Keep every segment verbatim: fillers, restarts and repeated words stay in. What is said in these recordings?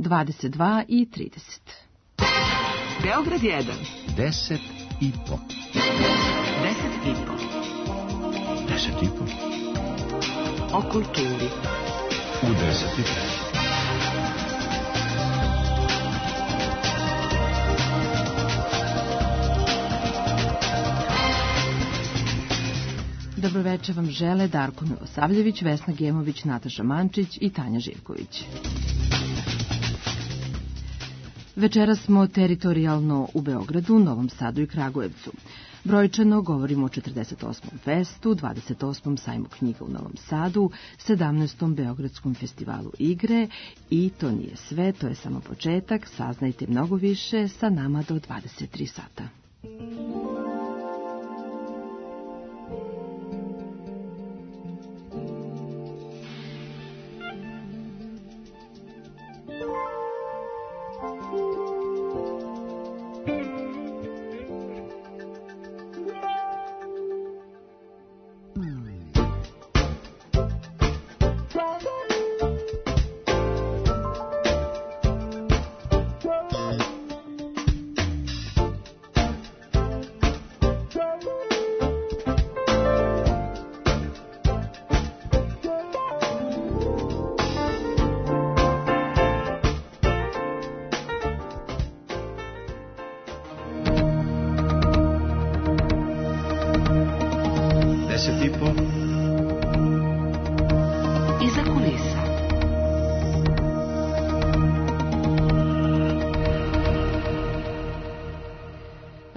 dvadeset dva i trideset. Beograd jedan. Deset i po. Deset i po. Deset i po. O kulturi. U deset i po. Dobroveče vam žele Darko Milosavljević, Vesna Gemović, Nataša Mančić i Tanja Živković. Večeras smo teritorijalno u Beogradu, Novom Sadu i Kragujevcu. Brojčano govorimo o četrdeset osmom festu, dvadeset osmom sajmu knjiga u Novom Sadu, sedamnaestom Beogradskom festivalu igre i to nije sve, to je samo početak, saznajte mnogo više sa nama do dvadeset tri sata.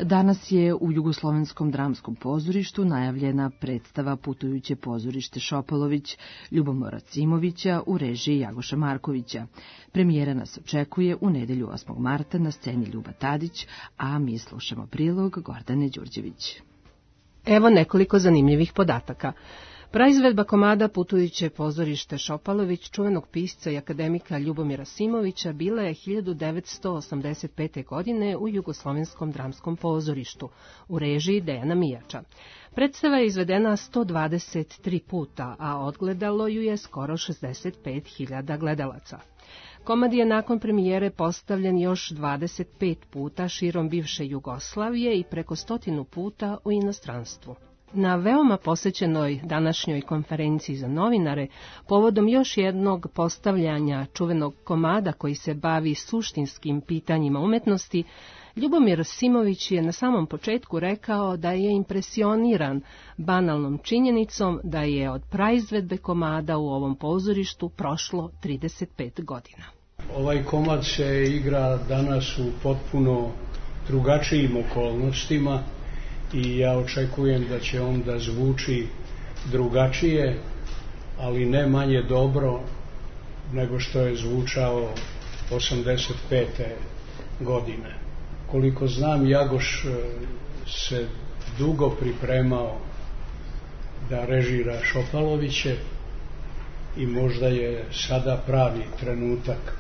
Danas je u Jugoslovenskom dramskom pozorištu najavljena predstava Putujuće pozorište Šopalović Ljubomira Simovića u režiji Jagoša Markovića. Premijera nas očekuje u nedelju osmog marta na sceni Ljuba Tadić, a mi slušamo prilog Gordane Đurđević. Evo nekoliko zanimljivih podataka. Praizvedba komada Putujuće pozorište Šopalović, čuvenog pisca i akademika Ljubomira Simovića, bila je hiljadu devetsto osamdeset pete. godine u Jugoslovenskom dramskom pozorištu, u režiji Dejana Mijača. Predstava je izvedena sto dvadeset tri puta, a odgledalo ju je skoro šezdeset pet hiljada gledalaca. Komad je nakon premijere postavljen još dvadeset pet puta širom bivše Jugoslavije i preko stotinu puta u inostranstvu. Na veoma posećenoj današnjoj konferenciji za novinare, povodom još jednog postavljanja čuvenog komada koji se bavi suštinskim pitanjima umetnosti, Ljubomir Simović je na samom početku rekao da je impresioniran banalnom činjenicom da je od praizvedbe komada u ovom pozorištu prošlo trideset pet godina. Ovaj komad se igra danas u potpuno drugačijim okolnostima i ja očekujem da će on da zvuči drugačije, ali ne manje dobro nego što je zvučao osamdeset pete. godine. Koliko znam, Jagoš se dugo pripremao da režira Šopaloviće i možda je sada pravi trenutak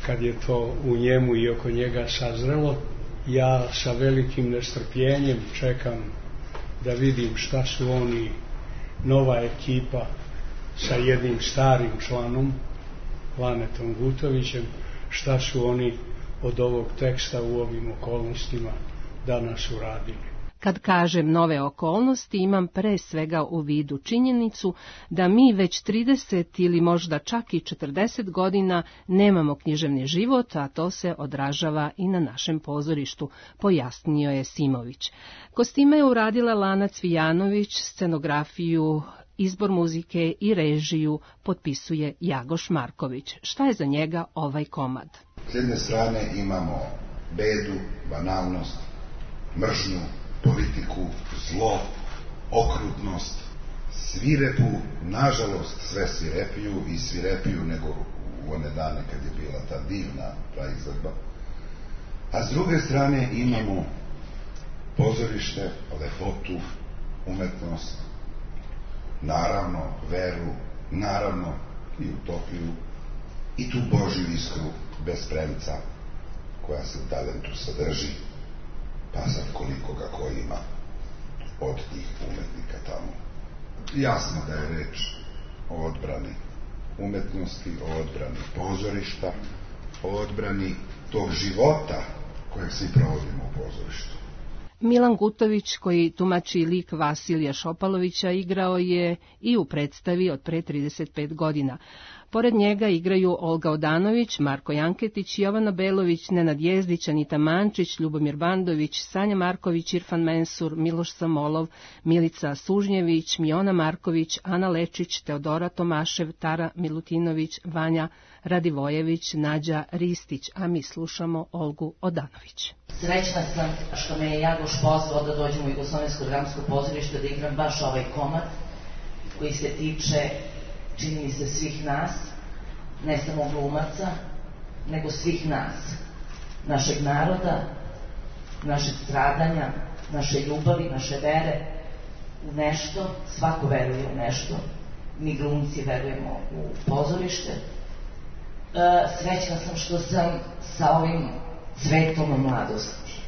kad je to u njemu i oko njega sazrelo. Ja sa velikim nestrpljenjem čekam da vidim šta su oni, nova ekipa sa jednim starim članom, Lanetom Gutovićem, šta su oni od ovog teksta u ovim okolnostima danas uradili. Kad kažem nove okolnosti, imam pre svega u vidu činjenicu da mi već trideset ili možda čak i četrdeset godina nemamo književni život, a to se odražava i na našem pozorištu, pojasnio je Simović. Kostime je uradila Lana Cvijanović, scenografiju, izbor muzike i režiju potpisuje Jagoš Marković. Šta je za njega ovaj komad? S jedne strane imamo bedu, banalnost, mržnju, politiku, zlo, okrutnost, svirepu, nažalost sve svirepiju i svirepiju nego u one dane kad je bila ta divna praizvedba. A s druge strane imamo pozorište, lepotu, umetnost, naravno veru, naravno i utopiju i tu Božju iskru bez premca koja se u talentu sadrži, pa sad koliko ga ko ima od tih umetnika tamo. Jasno da je reč o odbrani umetnosti, o odbrani pozorišta, o odbrani tog života kojeg svi provodimo u pozorištu. Milan Gutović, koji tumači lik Vasilija Šopalovića, igrao je i u predstavi od pre trideset pet godina. Pored njega igraju Olga Odanović, Marko Janketić, Jovana Belović, Nenad Jezdić, Anita Mančić, Ljubomir Bandović, Sanja Marković, Irfan Mensur, Miloš Samolov, Milica Sužnjević, Miona Marković, Ana Lečić, Teodora Tomašev, Tara Milutinović, Vanja Radivojević, Nađa Ristić, a mi slušamo Olgu Odanović. Srećna sam što me je Jagoš pozvao da dođem u Jugoslovensko dramsko pozorište da igram baš ovaj komad koji se tiče, čini mi se, svih nas, ne samo glumaca, nego svih nas, našeg naroda, našeg stradanja, naše ljubavi, naše vere u nešto. Svako veruje u nešto, mi glumci verujemo u pozorište. E, srećna sam što sam sa ovim cvetom mladosti,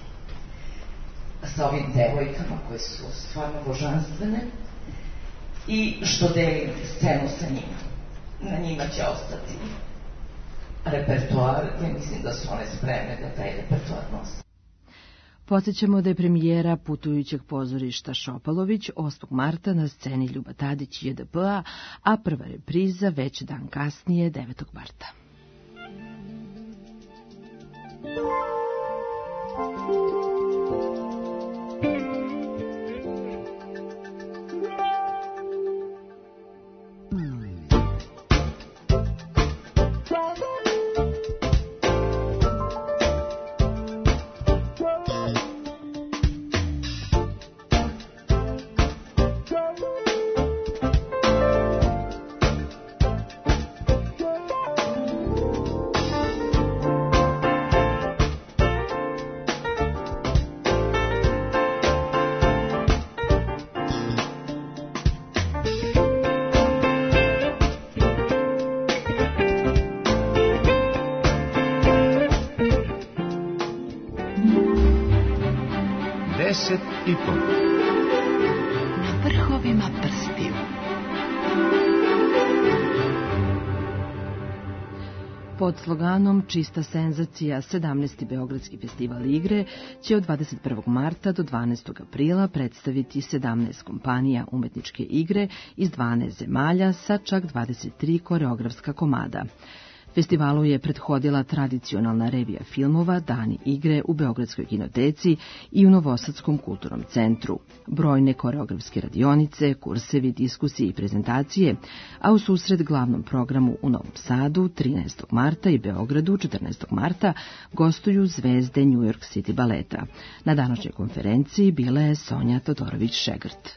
sa ovim devojkama koje su stvarno božanstvene, i što delim scenu sa njima. Na njima će ostati repertoar, ja mislim da su one spremne da taj repertoar nose. Podsjećamo da je premijera putujućeg pozorišta Šopalović osmog marta na sceni Ljuba Tadić J D P-a, a prva repriza već dan kasnije devetog marta. Deset i po. Na vrhovima prstiju. Pod sloganom Čista senzacija, sedamnaesti Beogradski festival igre će od dvadeset prvog marta do dvanaestog aprila predstaviti sedamnaest kompanija umetničke igre iz dvanaest zemalja sa čak dvadeset tri koreografska komada. Festivalu je prethodila tradicionalna revija filmova Dani igre u Beogradskoj kinoteci i u Novosadskom kulturnom centru, brojne koreografske radionice, kursevi, diskusije i prezentacije, a u susret glavnom programu u Novom Sadu trinaestog marta i Beogradu četrnaestog marta gostuju zvezde New York City baleta. Na današnjoj konferenciji bila je Sonja Todorović-Šegrt.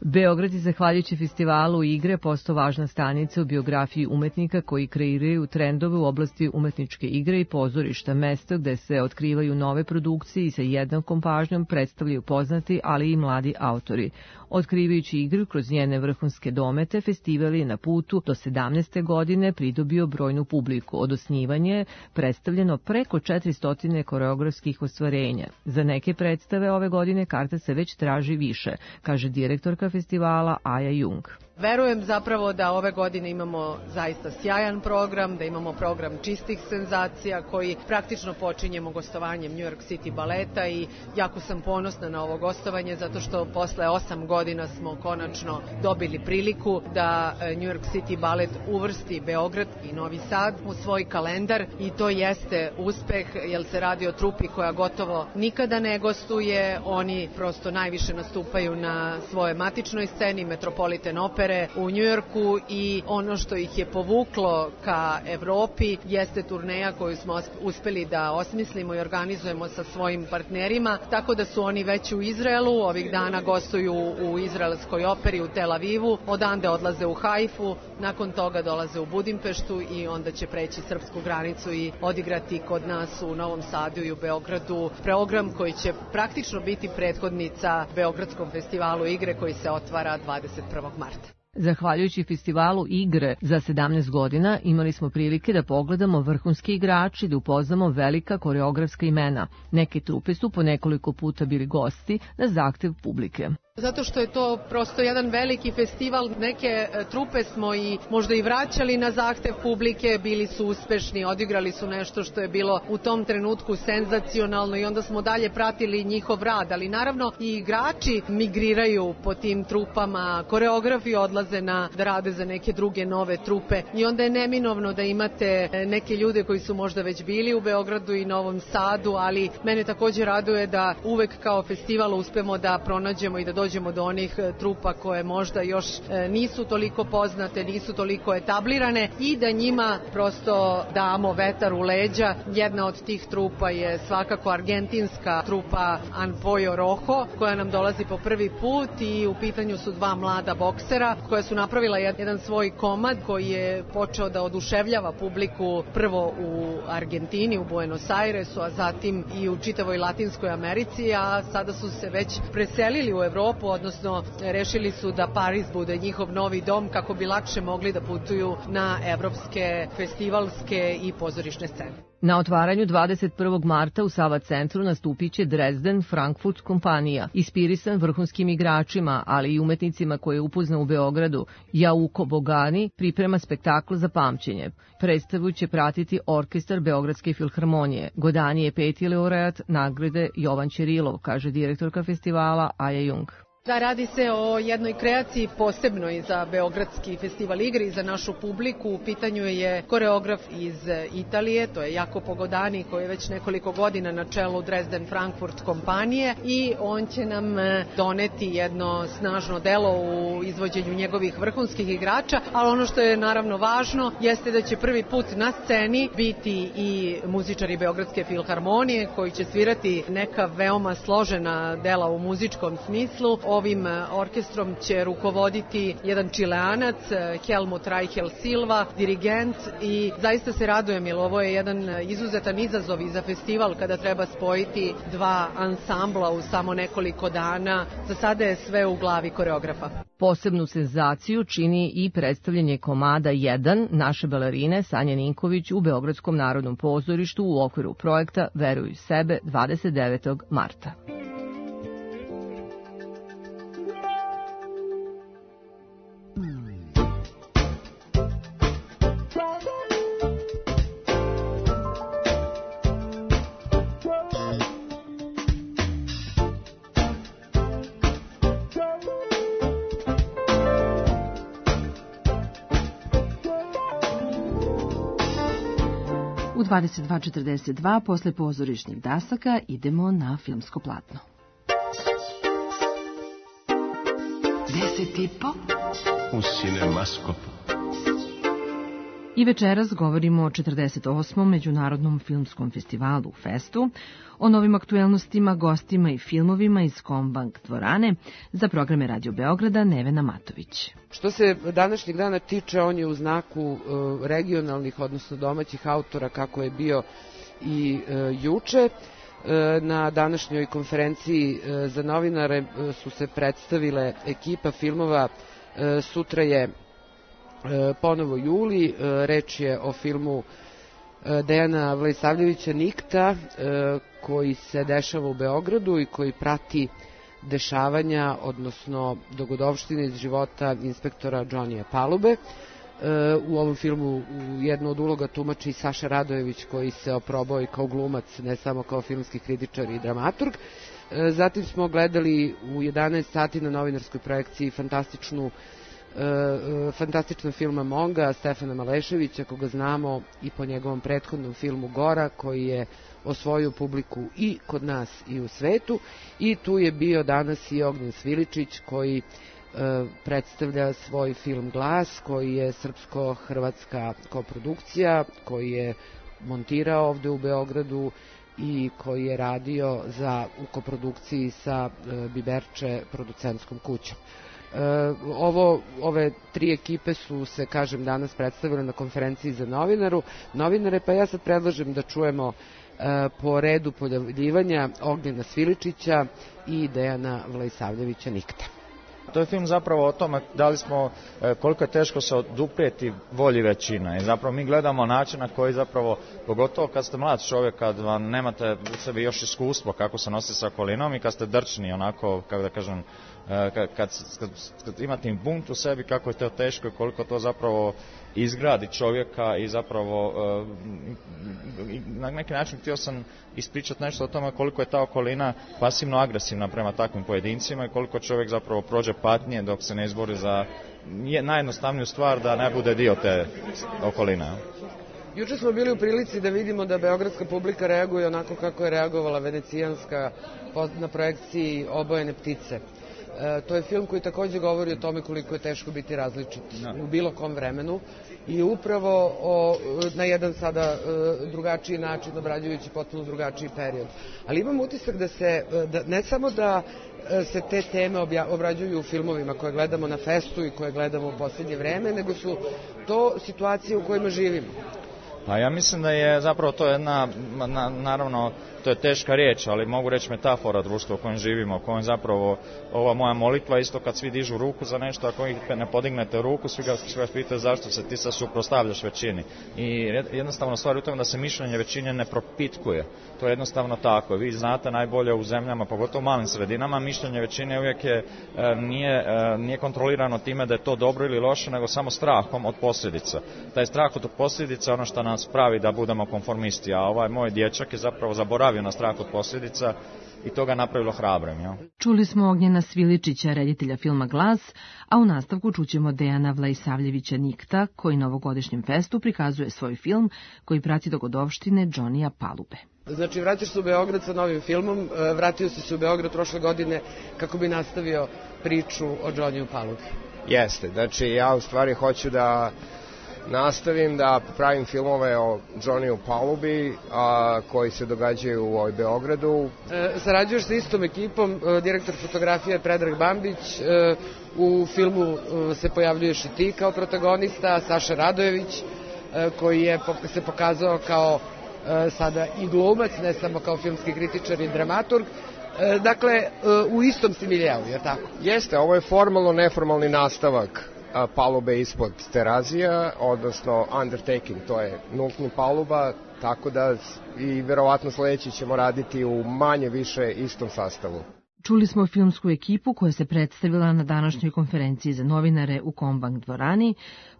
Beograd je, zahvaljujući festivalu igre, postao važna stanica u biografiji umetnika koji kreiraju trendove u oblasti umetničke igre i pozorišta, mesto gde se otkrivaju nove produkcije i sa jednakom pažnjom predstavljaju poznati, ali i mladi autori. Otkrivajući igru kroz njene vrhunske domete, festival je na putu do sedamnaeste godine pridobio brojnu publiku. Od osnivanja je predstavljeno preko četiristo koreografskih ostvarenja. Za neke predstave ove godine karta se već traži više, kaže direktorka festivala Aja Jung. Verujem zapravo da ove godine imamo zaista sjajan program, da imamo program čistih senzacija koji praktično počinjemo gostovanjem New York City baleta i jako sam ponosna na ovo gostovanje zato što posle osam godina smo konačno dobili priliku da New York City balet uvrsti Beograd i Novi Sad u svoj kalendar i to jeste uspeh jer se radi o trupi koja gotovo nikada ne gostuje, oni prosto najviše nastupaju na svojoj matičnoj sceni Metropolitan Opera u Njujorku i ono što ih je povuklo ka Evropi jeste turneja koju smo uspeli da osmislimo i organizujemo sa svojim partnerima, tako da su oni već u Izraelu, ovih dana gostuju u izraelskoj operi u Tel Avivu, odande odlaze u Haifu, nakon toga dolaze u Budimpeštu i onda će preći srpsku granicu i odigrati kod nas u Novom Sadu i u Beogradu program koji će praktično biti prethodnica Beogradskom festivalu igre koji se otvara dvadeset prvog marta. Zahvaljujući festivalu igre za sedamnaest godina imali smo prilike da pogledamo vrhunski igrači, da upoznamo velika koreografska imena. Neke trupe su po nekoliko puta bili gosti na zahtev publike. Zato što je to prosto jedan veliki festival, neke trupe smo i možda i vraćali na zahtev publike, bili su uspešni, odigrali su nešto što je bilo u tom trenutku senzacionalno i onda smo dalje pratili njihov rad, ali naravno i igrači migriraju po tim trupama, koreografi odlaze na, da rade za neke druge nove trupe i onda je neminovno da imate neke ljude koji su možda već bili u Beogradu i Novom Sadu, ali mene takođe raduje da uvek kao festival uspemo da pronađemo i da dođemo do onih trupa koje možda još nisu toliko poznate, nisu toliko etablirane i da njima prosto damo vetar u leđa. Jedna od tih trupa je svakako argentinska trupa Anpoyo Rojo, koja nam dolazi po prvi put i u pitanju su dva mlada boksera koja su napravila jedan svoj komad koji je počeo da oduševljava publiku prvo u Argentini, u Buenos Airesu, a zatim i u čitavoj Latinskoj Americi, a sada su se već preselili u Evropu, odnosno rešili su da Pariz bude njihov novi dom kako bi lakše mogli da putuju na evropske, festivalske i pozorišne scene. Na otvaranju dvadeset prvog marta u Sava centru nastupit će Dresden Frankfurt kompanija, inspirisan vrhunskim igračima, ali i umetnicima koje upozna u Beogradu. Jauko Bogani priprema spektakl za pamćenje. Predstavu će pratiti orkestar Beogradske filharmonije. Godani je peti laureat nagrade Jovan Ćerilov, kaže direktorka festivala Aja Jung. Da, radi se o jednoj kreaciji posebnoj za Beogradski festival igre i za našu publiku. U pitanju je koreograf iz Italije, to je Jacopo Godani, koji je već nekoliko godina na čelu Dresden Frankfurt kompanije i on će nam doneti jedno snažno delo u izvođenju njegovih vrhunskih igrača, ali ono što je naravno važno jeste da će prvi put na sceni biti i muzičari Beogradske filharmonije koji će svirati neka veoma složena dela u muzičkom smislu. Ovim orkestrom će rukovoditi jedan Čileanac, Helmut Reichel Silva, dirigent i zaista se radujem jer ovo je jedan izuzetan izazov i za festival kada treba spojiti dva ansambla u samo nekoliko dana. Za sada je sve u glavi koreografa. Posebnu senzaciju čini i predstavljanje komada jedan naše balerine Sanje Ninković u Beogradskom narodnom pozorištu u okviru projekta Veruj sebe dvadeset devetog marta. U dvadeset dva četrdeset dva posle pozorišnih dasaka idemo na filmsko platno. Deset i po u Cinemaskopu. I večeras govorimo o četrdeset osmom Međunarodnom filmskom festivalu Festu, o novim aktuelnostima, gostima i filmovima iz Kombank dvorane. Za programe Radio Beograda Nevena Matović. Što se današnjeg dana tiče, on je u znaku regionalnih, odnosno domaćih autora, kako je bio i juče. Na današnjoj konferenciji za novinare su se predstavile ekipa filmova. Sutra je ponovo juli, reč je o filmu Dejana Vlejsavljevića Nikta, koji se dešava u Beogradu i koji prati dešavanja, odnosno dogodovštine iz života inspektora Džonija Palube. U ovom filmu jednu od uloga tumači Saša Radojević, koji se oprobao i kao glumac, ne samo kao filmski kritičar i dramaturg. Zatim smo gledali u jedanaest sati na novinarskoj projekciji fantastičnu fantastičan film Monga Stefana Maleševića, koga znamo i po njegovom prethodnom filmu Gora, koji je osvojio publiku i kod nas i u svetu. I tu je bio danas i Ognjen Sviličić, koji predstavlja svoj film Glas, koji je srpsko-hrvatska koprodukcija, koji je montirao ovde u Beogradu i koji je radio za, u koprodukciji sa Biberče producentskom kućom. Ovo, ove tri ekipe su se, kažem, danas predstavile na konferenciji za novinaru, novinare, pa ja sad predlažem da čujemo po redu pojavljivanja Ognjena Sviličića i Dejana Vlejsavljevića Nikta. To je film zapravo o tome da li smo, koliko je teško se oduprijeti volji većine. I zapravo mi gledamo način na koji zapravo, pogotovo kad ste mlad čovjek, kad vam nemate u sebi još iskustvo kako se nositi sa okolinom i kad ste drčni, onako, kako da kažem, kad, kad, kad, kad imate impunt u sebi, kako je to teško i koliko to zapravo izgradi čovjeka i zapravo na neki način htio sam ispričati nešto o tome koliko je ta okolina pasivno agresivna prema takvim pojedincima i koliko čovjek zapravo prođe patnje dok se ne izbori za najjednostavniju stvar da ne bude dio te okoline. Juče smo bili u prilici da vidimo da beogradska publika reaguje onako kako je reagovala venecijanska na projekciji Obojene ptice. E, to je film koji takođe govori o tome koliko je teško biti različit u bilo kom vremenu i upravo o, na jedan sada e, drugačiji način obrađujući potpuno drugačiji period. Ali imam utisak da se, da, ne samo da se te teme obja, obrađuju u filmovima koje gledamo na festu i koje gledamo u posljednje vreme, nego su to situacije u kojima živimo. Pa ja mislim da je zapravo to jedna, na, naravno, to je teška riječ, ali mogu reći metafora društva u kojem živimo, u kojem zapravo ova moja molitva, isto kad svi dižu ruku za nešto, ako ih ne podignete ruku, svi ga, svi ga pitaju zašto se ti sad suprotstavljaš većini. I jednostavno stvar u tome da se mišljenje većine ne propitkuje. To je jednostavno tako. Vi znate najbolje u zemljama, pogotovo u malim sredinama, mišljenje većine uvijek je, nije, nije kontrolirano time da je to dobro ili loše, nego samo strahom od posljedica. Taj strah od posljedica je ono što nas pravi da budemo konformisti, a ovaj moj dječak je zapravo zaboravio na strah od posljedica i to ga napravilo hrabrim. Ja? Čuli smo Ognjena Sviličića, reditelja filma Glas, a u nastavku čućemo Dejana Vlaisavljevića Nikta, koji na ovogodišnjem festu prikazuje svoj film koji prati dogodovštine Džonija Palube. Znači, vraćaš se u Beograd sa novim filmom, vratio si se u Beograd prošle godine kako bi nastavio priču o Džoniju Palubi. Jeste, znači ja u stvari hoću da nastavim da pravim filmove o Džoniju Palubi a, koji se događaju u ovoj Beogradu. E, sarađuješ sa istom ekipom, e, direktor fotografije Predrag Bambić, e, u filmu e, se pojavljuješ i ti kao protagonista, Saša Radojević, e, koji je se pokazao kao e, sada i glumac, ne samo kao filmski kritičar i dramaturg. E, dakle, e, u istom si miljeu, je tako? Jeste, ovo je formalno neformalni nastavak palube ispod terazija, odnosno undertaking, to je nultni paluba, tako da i verovatno sledeći ćemo raditi u manje više istom sastavu. Čuli smo filmsku ekipu koja se predstavila na današnjoj konferenciji za novinare u Kombank dvorani.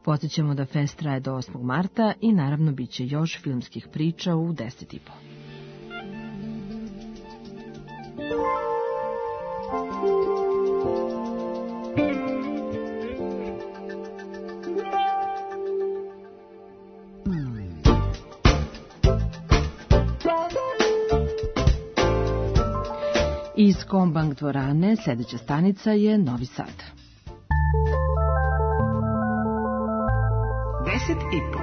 Podsjećamo da fest traje do osmog marta i naravno bit će još filmskih priča u deset i po. Iz Kombank dvorane sledeća stanica je Novi Sad. Deset i po.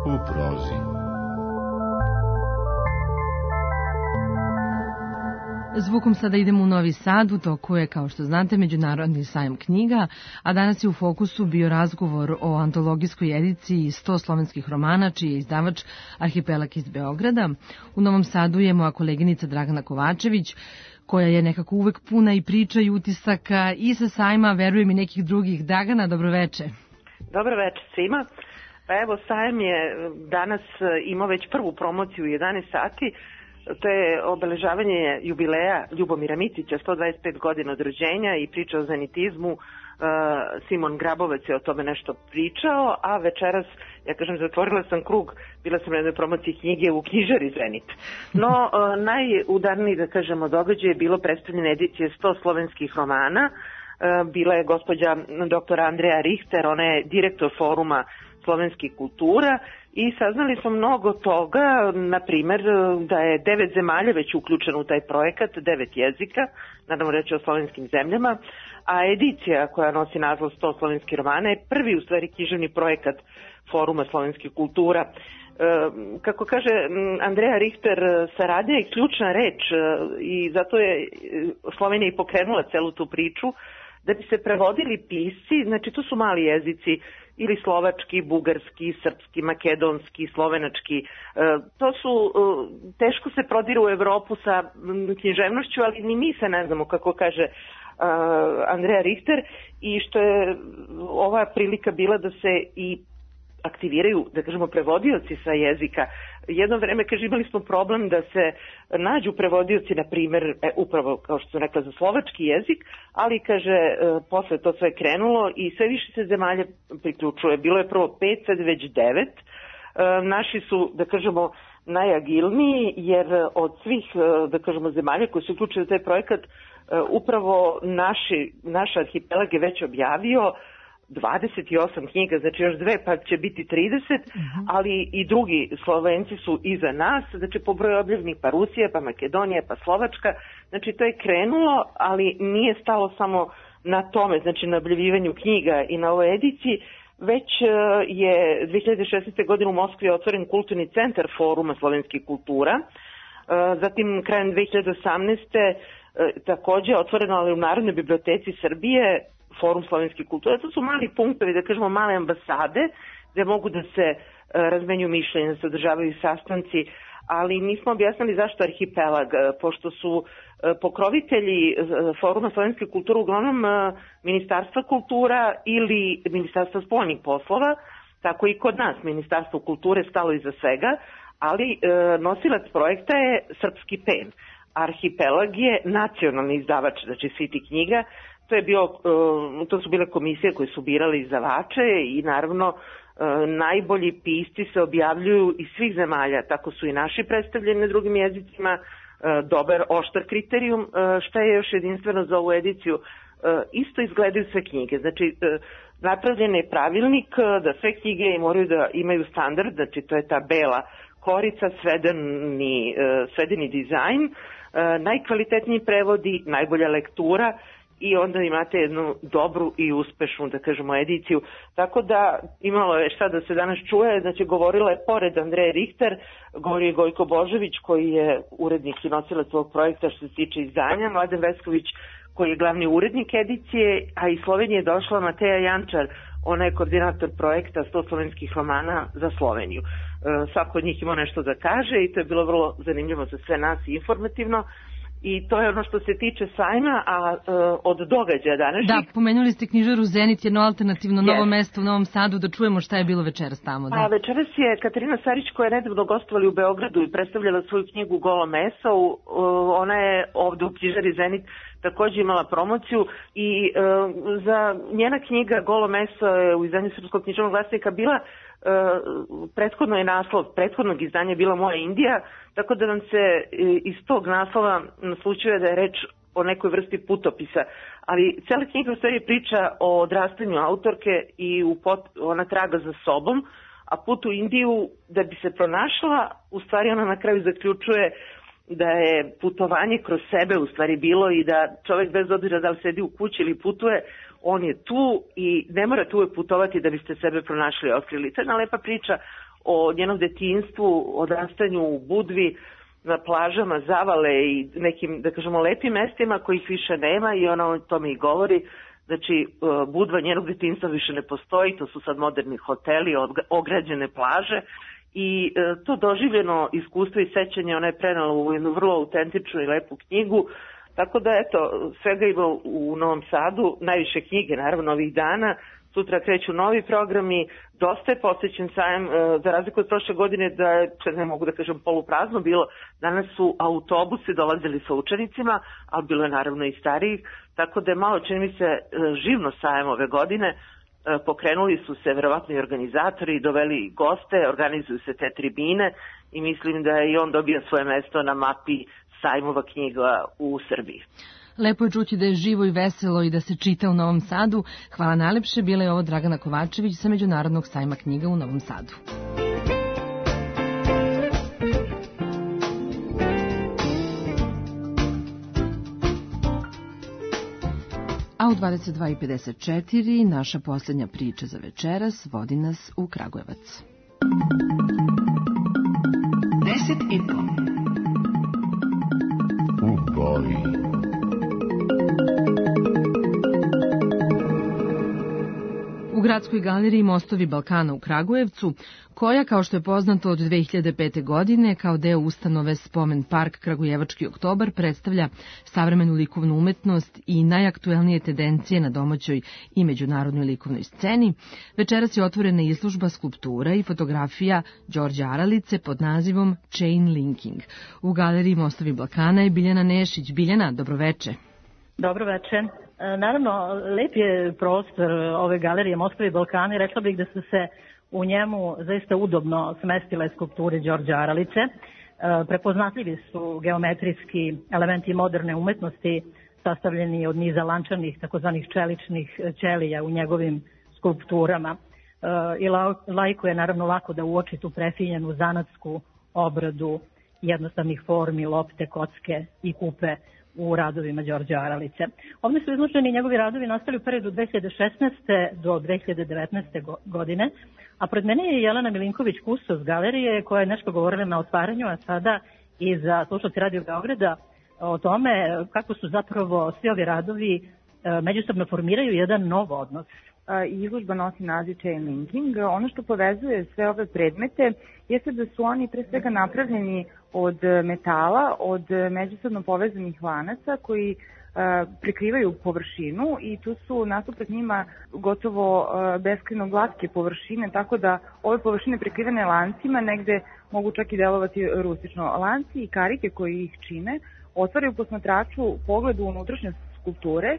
U prozi. Zvukom sada idemo u Novi Sad, u toku je, kao što znate, Međunarodni sajam knjiga, a danas je u fokusu bio razgovor o antologijskoj ediciji sto slovenskih romana, čiji je izdavač Arhipelag iz Beograda. U Novom Sadu je moja koleginica Dragana Kovačević, koja je nekako uvek puna i priča i utisaka i sa sajma, verujem, i nekih drugih. Dragana, dobroveče. Dobroveče svima. Pa evo, sajam je danas imao već prvu promociju u jedanaest sati. To je obeležavanje jubileja Ljubomira Micića, sto dvadeset pet godina od rođenja i priča o zenitizmu. Simon Grabovac je o tome nešto pričao, a večeras, ja kažem, zatvorila sam krug, bila sam na jednoj promociji knjige u knjižari Zenit. No, najudarniji, da kažemo, događaj je bilo predstavljene edicije sto slovenskih romana. Bila je gospođa doktora Andreja Richter, ona je direktor foruma slovenskih kultura i saznali smo mnogo toga, na primer da je devet zemalja već uključeno u taj projekat, devet jezika, naravno reći o slovenskim zemljama, a edicija koja nosi naslov sto slovenskih romana je prvi u stvari književni projekat foruma slovenskih kultura. Kako kaže Andreja Richter, saradnja je ključna reč i zato je Slovenija i pokrenula celu tu priču, da bi se prevodili pisci, znači to su mali jezici, ili slovački, bugarski, srpski, makedonski, slovenački. To su, teško se prodiru u Evropu sa književnošću, ali ni mi se ne znamo, kako kaže Andrea Richter, i što je ova prilika bila da se i aktiviraju, da kažemo, prevodioci sa jezika. Jedno vreme, kaže, imali smo problem da se nađu prevodioci, na primer, e, upravo, kao što sam rekla, za slovački jezik, ali, kaže, e, posle to sve krenulo i sve više se zemalja priključuje. Bilo je prvo pet, sad već devet. E, naši su, da kažemo, najagilniji, jer od svih, da kažemo, zemalja koji su uključili u taj projekat, e, upravo naši, naš arhipelag je već objavio dvadeset osam knjiga, znači još dve pa će biti trideset, uh-huh. ali i drugi Slovenci su iza nas, znači po broju objavljenih pa Rusija, pa Makedonija, pa Slovačka, znači to je krenulo, ali nije stalo samo na tome, znači na objavljivanju knjiga i na ovoj ediciji, već je dve hiljade šesnaeste. godine u Moskvi otvoren kulturni centar Foruma slovenskih kultura, zatim krajem dve hiljade osamnaeste. takođe otvoreno, ali u Narodnoj biblioteci Srbije, Forum slovenskih kultura. To su mali punktovi, da kažemo male ambasade, gde mogu da se razmenju mišljenja, da se održavaju sastanci, ali nismo objasnili zašto arhipelag, pošto su pokrovitelji Foruma slovenske kulture uglavnom Ministarstva kultura ili Ministarstva spoljnih poslova, tako i kod nas Ministarstvo kulture stalo iza svega, ali nosilac projekta je Srpski pen. Arhipelag je nacionalni izdavač, znači City knjiga. To je bio, to su bile komisije koje su birali izdavače i naravno najbolji pisci se objavljuju iz svih zemalja, tako su i naši predstavljeni na drugim jezicima, dobar, oštar kriterijum. Šta je još jedinstveno za ovu ediciju? Isto izgledaju sve knjige, znači napravljen je pravilnik da sve knjige moraju da imaju standard, znači to je ta bela korica, svedeni, svedeni dizajn, najkvalitetniji prevodi, najbolja lektura i onda imate jednu dobru i uspešnu, da kažemo, ediciju. Tako da imalo je šta da se danas čuje, znači govorila je pored Andreje Richter, govori je Gojko Božović koji je urednik i nosilac ovog projekta što se tiče izdanja, Mladen Vesković koji je glavni urednik edicije, a iz Slovenije je došla Mateja Jančar, ona je koordinator projekta sto slovenskih romana za Sloveniju. Svako od njih ima nešto da kaže i to je bilo vrlo zanimljivo za sve nas i informativno. I to je ono što se tiče sajma, a e, od događaja današnjih... Da, pomenuli ste knjižaru Zenit, jedno alternativno novo yes. mesto u Novom Sadu, da čujemo šta je bilo večeras tamo. Da. A večeras je Katarina Sarić, koja je nedavno gostovali u Beogradu i predstavljala svoju knjigu Golo meso, u, ona je ovde u knjižari Zenit takođe imala promociju i e, za njena knjiga Golo meso je u izdanju Srpskog književnog glasnika bila Uh, prethodno je naslov prethodnog izdanja bila Moja Indija, tako da nam se iz tog naslova naslučuje da je reč o nekoj vrsti putopisa, ali cela knjiga u stvari priča o odrastanju autorke i u pot, ona traga za sobom, a put u Indiju da bi se pronašla, u stvari ona na kraju zaključuje da je putovanje kroz sebe u stvari bilo i da čovjek bez obzira da li sedi u kući ili putuje, on je tu i ne morate uvek putovati da biste sebe pronašli i otkrili. To je jedna lepa priča o njenom detinjstvu, odrastanju u Budvi, na plažama Zavale i nekim, da kažemo, lepim mestima kojih više nema i ona o tome i govori. Znači, Budva njenog detinjstva više ne postoji, to su sad moderni hoteli, ograđene plaže i to doživljeno iskustvo i sećanje ona je prenala u jednu vrlo autentičnu i lepu knjigu. Tako da, eto, svega ima u Novom Sadu, najviše knjige, naravno, ovih dana. Sutra kreću novi programi, dosta je posvećen sajam, za razliku od prošle godine, da je, ne mogu da kažem, poluprazno bilo. Danas su autobusi dolazili sa učenicima, ali bilo je naravno i starijih, tako da je malo, čini mi se, živno sajam ove godine. Pokrenuli su se verovatno i organizatori, doveli goste, organizuju se te tribine i mislim da je i on dobio svoje mesto na mapi sajmova knjiga u Srbiji. Lepo je čuti da je živo i veselo i da se čita u Novom Sadu. Hvala najlepše, bila je ovo Dragana Kovačević sa Međunarodnog sajma knjiga u Novom Sadu. A u dvadeset dva i pedeset četiri naša posljednja priča za večeras vodi nas u Kragujevac. Deset i po. U boji. u Gradskoj galeriji Mostovi Balkana u Kragujevcu, koja, kao što je poznato od dve hiljade pete. godine, kao deo ustanove Spomen park Kragujevački oktobar, predstavlja savremenu likovnu umetnost i najaktuelnije tendencije na domaćoj i međunarodnoj likovnoj sceni. Večeras je otvorena izložba skulptura i fotografija Đorđa Aralice pod nazivom Chain Linking. U galeriji Mostovi Balkana je Biljana Nešić. Biljana, dobroveče. Dobroveče. Naravno, lep je prostor ove galerije Mostovi Balkana i rekla bih da su se u njemu zaista udobno smestile skulpture Đorđa Aralice. Prepoznatljivi su geometrijski elementi moderne umetnosti sastavljeni od niza lančanih, takozvanih čeličnih ćelija u njegovim skulpturama. I laiku je naravno lako da uoči tu prefinjenu zanatsku obradu jednostavnih formi, lopte, kocke i kupe u radovima Đorđa Aralice. Ovdje su izloženi njegovi radovi nastali u periodu dve hiljade šesnaeste. do dve hiljade devetnaeste. godine, a pred mene je Jelena Milinković-Kustos galerije koja je nešto govorila na otvaranju, a sada i za slušalci Radio Beograda o tome kako su zapravo svi ovi radovi međusobno formiraju jedan nov odnos. Izložba nosi naziv Chain Linking. Ono što povezuje sve ove predmete jeste da su oni pre svega napravljeni od metala, od međusobno povezanih lanaca koji prekrivaju površinu i tu su nasuprot njima gotovo beskrajno glatke površine, tako da ove površine prekrivene lancima negde mogu čak i delovati rustično. Lanci i karike koji ih čine otvaraju posmatraču pogled u unutrašnjost skulpture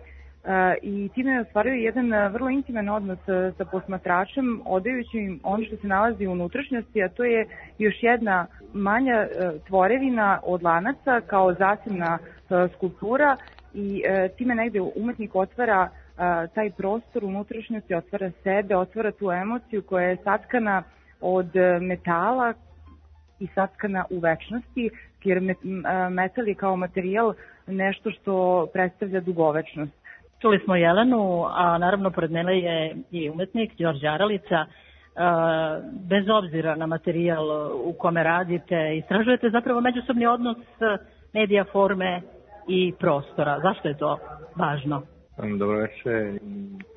i time ostvaruju jedan vrlo intiman odnos sa posmatračem, odajući im ono što se nalazi u unutrašnjosti, a to je još jedna manja tvorevina od lanaca kao zasebna skulptura i time negde umetnik otvara taj prostor unutrašnjosti, otvara sebe, otvara tu emociju koja je satkana od metala i satkana u večnosti, jer metal je kao materijal nešto što predstavlja dugovečnost. Čuli smo Jelenu, a naravno pored mene je i umetnik Đorđe Aralica. Bez obzira na materijal u kome radite, istražujete zapravo međusobni odnos medija, forme i prostora. Zašto je to važno? Dobro večer.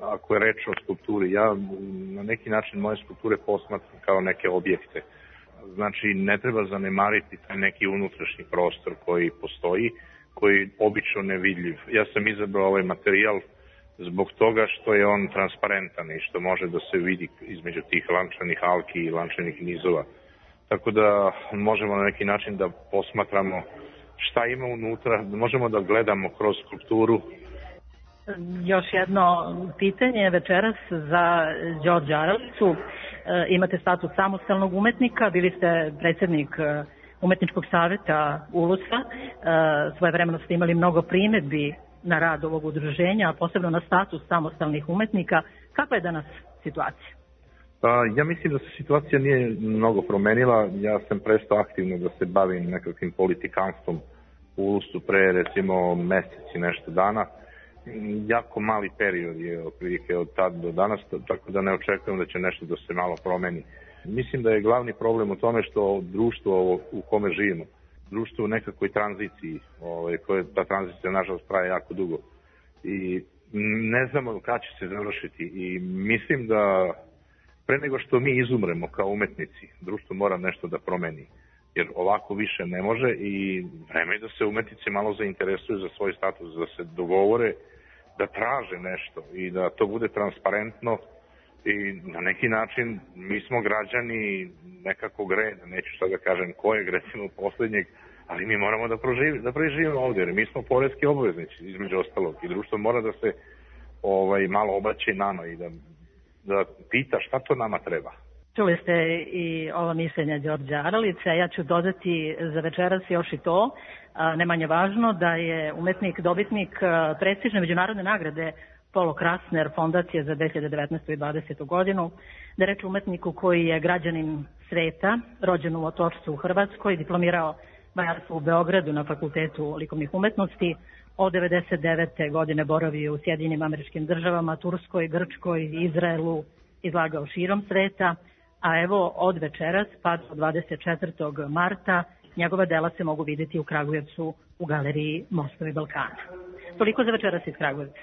Ako je reč o skulpturi, ja na neki način moje skulpture posmatram kao neke objekte. Znači, ne treba zanemariti taj neki unutrašnji prostor koji postoji, koji je obično nevidljiv. Ja sam izabrao ovaj materijal zbog toga što je on transparentan i što može da se vidi između tih lančanih alki i lančanih nizova. Tako da možemo na neki način da posmatramo šta ima unutra, možemo da gledamo kroz skulpturu. Još jedno pitanje večeras za Đorđa Aralicu. Imate status samostalnog umetnika, bili ste predsjednik Umetničkog saveta Ulusa. Svojevremeno ste imali mnogo primedbi na rad ovog udruženja, a posebno na status samostalnih umetnika. Kakva je danas situacija? Pa, ja mislim da se situacija nije mnogo promenila. Ja sam prestao aktivno da se bavim nekakvim politikanstvom u Ulusu pre recimo mesec i nešto dana. Jako mali period je otprilike od tad do danas, tako da ne očekujem da će nešto da se malo promeni. Mislim da je glavni problem u tome što društvo u kome živimo, društvo u nekakvoj tranziciji, ovaj, koje ta tranzicija nažalost traje jako dugo i ne znamo kada će se završiti i mislim da pre nego što mi izumremo kao umetnici, društvo mora nešto da promeni, jer ovako više ne može i vreme je da se umetnici malo zainteresuju za svoj status, da se dogovore, da traže nešto i da to bude transparentno i na neki način mi smo građani nekakvog reda, neću sad da kažem kojeg, recimo posljednjeg, ali mi moramo da, proživi, da preživimo ovdje, jer mi smo poreski obveznici između ostalog i društvo mora da se ovaj, malo obraće nama i da, da pita šta to nama treba. Čuli ste i ovo mišljenje Đorđa Aralice, ja ću dodati za večeras još i to, ne manje važno, da je umetnik dobitnik prestižne međunarodne nagrade Polo Krasner fondacije za dve hiljade devetnaestu i dvadesetu godinu, da je reč umetniku koji je građanin sveta, rođen u Otočcu u Hrvatskoj, diplomirao majarstvo u Beogradu na Fakultetu likovnih umetnosti, od devedeset devete godine boravio u Sjedinjenim Američkim Državama, Turskoj, Grčkoj, Izraelu, izlagao širom sveta, a evo od večeras pa do dvadeset četvrtog marta njegova dela se mogu vidjeti u Kragujevcu u galeriji Mostovi Balkana. Toliko za večeras iz Kragujevca.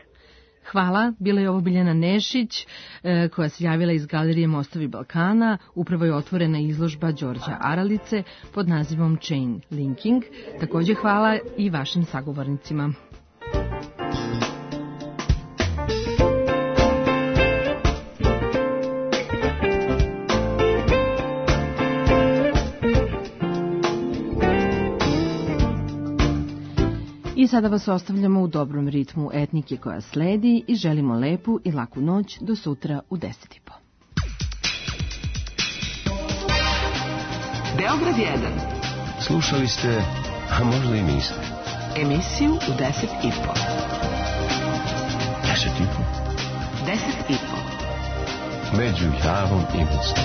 Hvala, bila je ovo Biljana Nešić koja se javila iz Galerije Mostovi Balkana. Upravo je otvorena izložba Đorđa Aralice pod nazivom Chain Linking. Takođe hvala i vašim sagovornicima. I sada vas ostavljamo u dobrom ritmu etnike koja sledi i želimo lepu i laku noć do sutra u deset i po. Beograd jedan. Slušali ste, a možda i niste. Emisiju u deset i po. Deset i po? Deset i po. Među Javom i Mostom.